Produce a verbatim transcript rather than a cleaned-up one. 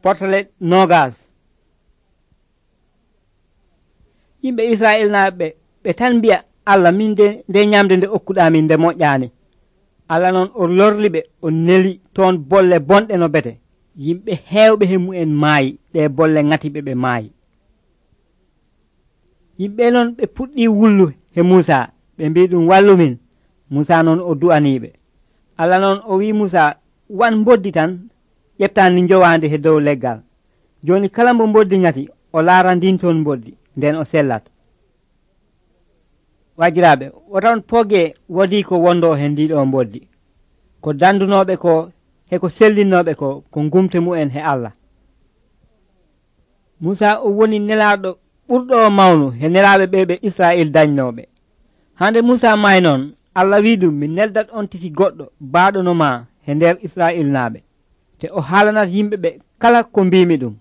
portale nogas yimɓe israil naaɓe ɓe tan mbiya allah min de nde ñamde nde okkuɗamin nde moƴƴani. allah noon o lorliɓe o neli toon bolle bonɗe no bete. yimɓe heewɓe he mu'en maayi ɗe bolle ŋatiɓe ɓe maayi. yimɓe noon ɓe puɗɗi wullu he Musa ɓe mbi ɗum wallumin. Musa noon o du'aniɓe. allah noon o wi Musa wan mboddi tan ƴeftandi jowandi he dow leggal. joni kala mbo mboddi ŋati o laara ndin toon mboddi nden o sellat. wajiraɓe woton pooge wodi ko wondo he ndiɗo mboddi ko dandunoɓe ko heko sellinnoɓe ko ko gumte mu'en he Allah. Musa o woni nelaɗo ɓurɗo mawnu he nelaɓe ɓe ɓe Israil dañnoɓe. hande Musa may noon Allah wi ɗum mi neldat on titi goɗɗo baɗonoma he nder Israil naɓe te o haalanat yimɓe ɓe kala ko mbimi ɗum.